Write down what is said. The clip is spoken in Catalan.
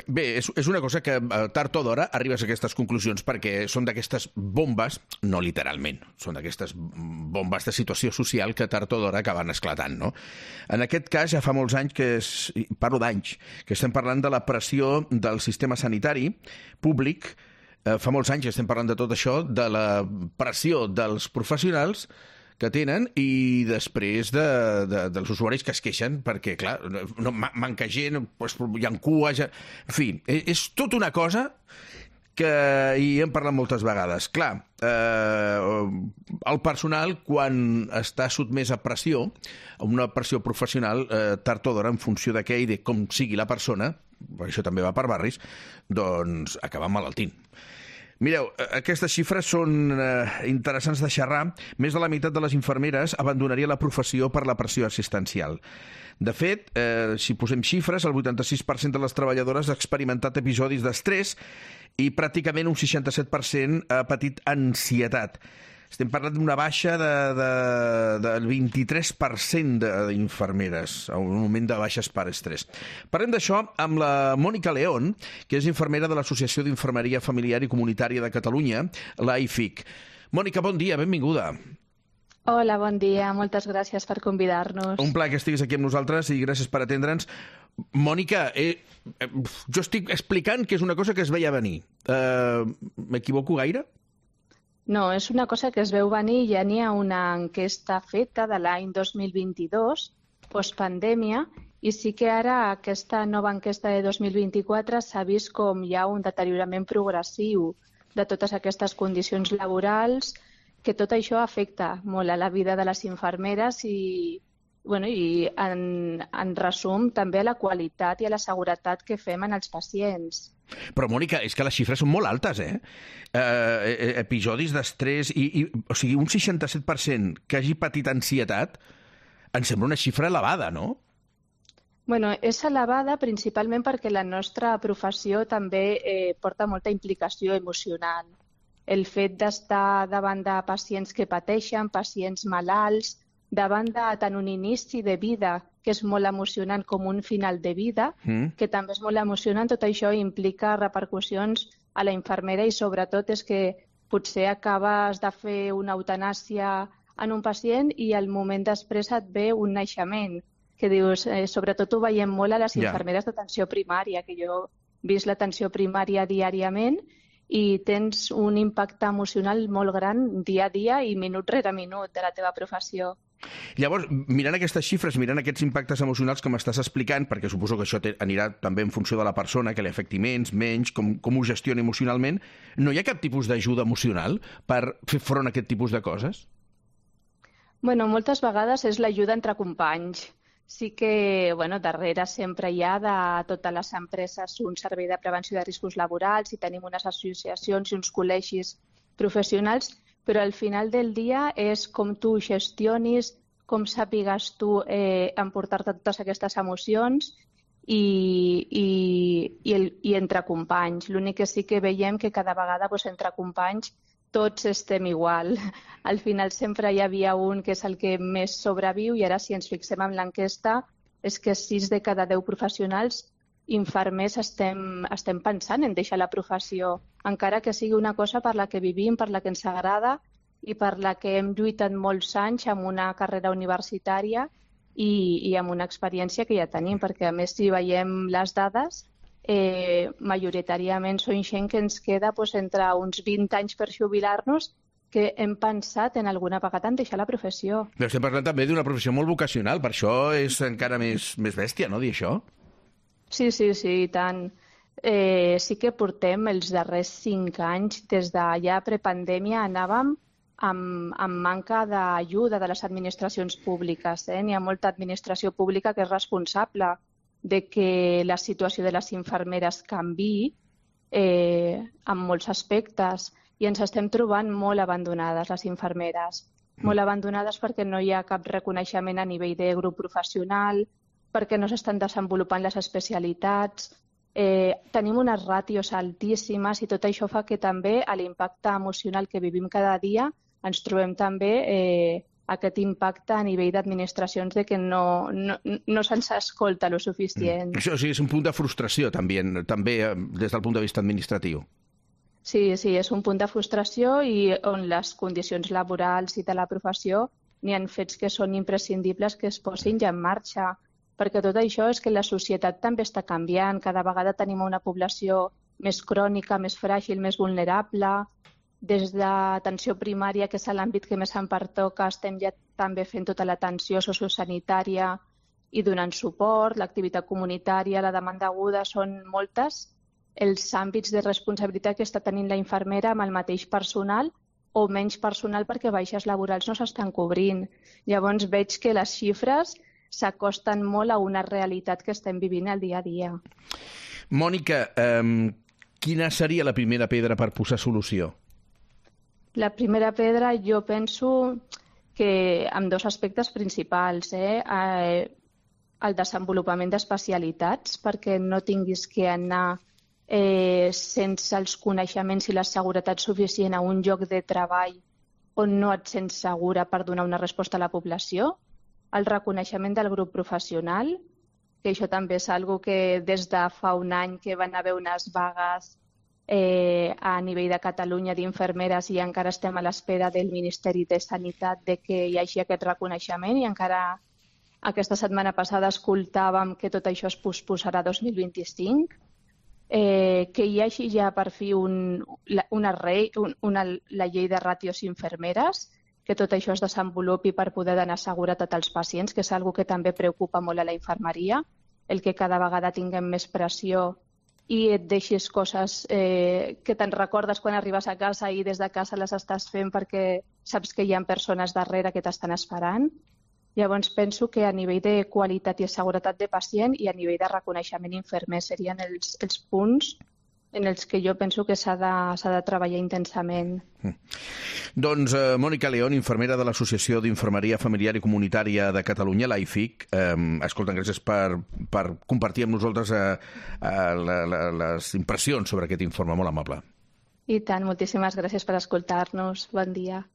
Bé, és una cosa que tard o d'hora arribes a aquestes conclusions perquè són d'aquestes bombes, no literalment, són d'aquestes bombes de situació social que tard o d'hora acaben esclatant, no? En aquest cas ja fa molts anys parlo d'anys, que estem parlant de la pressió del sistema sanitari públic, fa molts anys que estem parlant de tot això, de la pressió dels professionals que tenen i després dels usuaris que es queixen perquè, clar, no, manca gent, hi ha cues... En fi, és tota una cosa que hi hem parlat moltes vegades. Clar, el personal, quan està sotmès a pressió, a una pressió professional, tard o d'hora, en funció de què i de com sigui la persona, això també va per barris, doncs acaba malaltint. Mireu, aquestes xifres són interessants de xerrar. Més de la meitat de les infermeres abandonaria la professió per la pressió assistencial. De fet, si posem xifres, el 86% de les treballadores ha experimentat episodis d'estrès i pràcticament un 67% ha patit ansietat. Estem parlant d'una baixa del 23% d'infermeres, un augment de baixes per estrès. Parlem d'això amb la Mònica León, que és infermera de l'Associació d'Infermeria Familiar i Comunitària de Catalunya, l'AIFIC. Mònica, bon dia, benvinguda. Hola, bon dia, moltes gràcies per convidar-nos. Un plaer que estiguis aquí amb nosaltres i gràcies per atendre'ns. Mònica, jo estic explicant que és una cosa que es veia venir. M'equivoco gaire? No, és una cosa que es veu venir. Ja n'hi ha una enquesta feta de l'any 2022, postpandèmia, i sí que ara aquesta nova enquesta de 2024 s'ha vist com hi ha un deteriorament progressiu de totes aquestes condicions laborals, que tot això afecta molt a la vida de les infermeres i en resum també a la qualitat i a la seguretat que fem en els pacients. Però, Mònica, és que les xifres són molt altes, episodis d'estrès, o sigui, un 67% que hagi patit ansietat, em sembla una xifra elevada, no? Bueno, és elevada principalment perquè la nostra professió també porta molta implicació emocional. El fet d'estar davant de pacients que pateixen, pacients malalts, davant de tant un inici de vida, que és molt emocionant, com un final de vida, que també és molt emocionant, tot això implica repercussions a la infermera i sobretot és que potser acabes de fer una eutanàsia en un pacient i al moment després et ve un naixement, que dius, sobretot ho veiem molt a les infermeres d'atenció primària, que jo he vist l'atenció primària diàriament i tens un impacte emocional molt gran dia a dia i minut rere minut de la teva professió. Llavors, mirant aquestes xifres, mirant aquests impactes emocionals que m'estàs explicant, perquè suposo que això anirà també en funció de la persona, que li afecti menys, com ho gestioni emocionalment, no hi ha cap tipus d'ajuda emocional per fer front a aquest tipus de coses? Bueno, moltes vegades és l'ajuda entre companys. Sí que, darrere sempre hi ha de totes les empreses un servei de prevenció de riscos laborals i tenim unes associacions i uns col·legis professionals, però al final del dia és com tu gestionis, com sàpigues tu emportar-te totes aquestes emocions i entre companys. L'únic que sí que veiem que cada vegada entre companys tots estem igual. Al final sempre hi havia un que és el que més sobreviu i ara si ens fixem en l'enquesta és que 6 de cada 10 professionals infermers estem pensant en deixar la professió, encara que sigui una cosa per la que vivim, per la que ens agrada i per la que hem lluitat molts anys amb una carrera universitària i amb una experiència que ja tenim, perquè a més si veiem les dades, majoritàriament són gent que ens queda entre uns 20 anys per jubilar-nos que hem pensat en alguna vegada en deixar la professió. Però estem parlant també d'una professió molt vocacional, per això és encara més bèstia, no, dir això? Sí, i tant. Sí que portem els darrers 5 anys, des de ja prepandèmia, anàvem amb manca d'ajuda de les administracions públiques. N'hi ha molta administració pública que és responsable de que la situació de les infermeres canviï en molts aspectes i ens estem trobant molt abandonades les infermeres. Molt abandonades perquè no hi ha cap reconeixement a nivell de grup professional, perquè no s'estan desenvolupant les especialitats, tenim unes ràtios altíssimes i tot això fa que també a l'impacte emocional que vivim cada dia ens trobem també aquest impacte a nivell d'administracions de que no se'ns escolta lo suficient. Això sí, és un punt de frustració també des del punt de vista administratiu. Sí, és un punt de frustració i on les condicions laborals i de la professió n'hi ha fets que són imprescindibles que es posin ja en marxa, perquè tot això és que la societat també està canviant, cada vegada tenim una població més crònica, més fràgil, més vulnerable. Des d'atenció primària, que és l'àmbit que més em pertoca, estem ja també fent tota l'atenció sociosanitària i donant suport, l'activitat comunitària, la demanda aguda, són moltes els àmbits de responsabilitat que està tenint la infermera amb el mateix personal o menys personal perquè baixes laborals no s'estan cobrint. Llavors veig que les xifres s'acosten molt a una realitat que estem vivint el dia a dia. Mònica, quina seria la primera pedra per posar solució? La primera pedra jo penso que amb dos aspectes principals. El desenvolupament d'especialitats, perquè no tinguis que anar sense els coneixements i la seguretat suficient a un lloc de treball on no et sents segura per donar una resposta a la població. El reconeixement del grup professional, que això també és una cosa que des de fa un any que van haver unes vagues a nivell de Catalunya d'infermeres i encara estem a l'espera del Ministeri de Sanitat de que hi hagi aquest reconeixement i encara aquesta setmana passada escoltàvem que tot això es posposarà a 2025, que hi hagi ja per fi la llei de ràtios infermeres, que tot això es desenvolupi per poder donar seguretat als pacients, que és una cosa que també preocupa molt a la infermeria, el que cada vegada tinguem més pressió i et deixis coses que te'n recordes quan arribes a casa i des de casa les estàs fent perquè saps que hi ha persones darrere que t'estan esperant. Llavors penso que a nivell de qualitat i seguretat de pacient i a nivell de reconeixement infermer serien els punts en els que jo penso que s'ha de treballar intensament. Doncs Mònica León, infermera de l'Associació d'Infermeria Familiar i Comunitària de Catalunya, l'AIFIC. Escolta, gràcies per compartir amb nosaltres les impressions sobre aquest informe, molt amable. I tant, moltíssimes gràcies per escoltar-nos. Bon dia.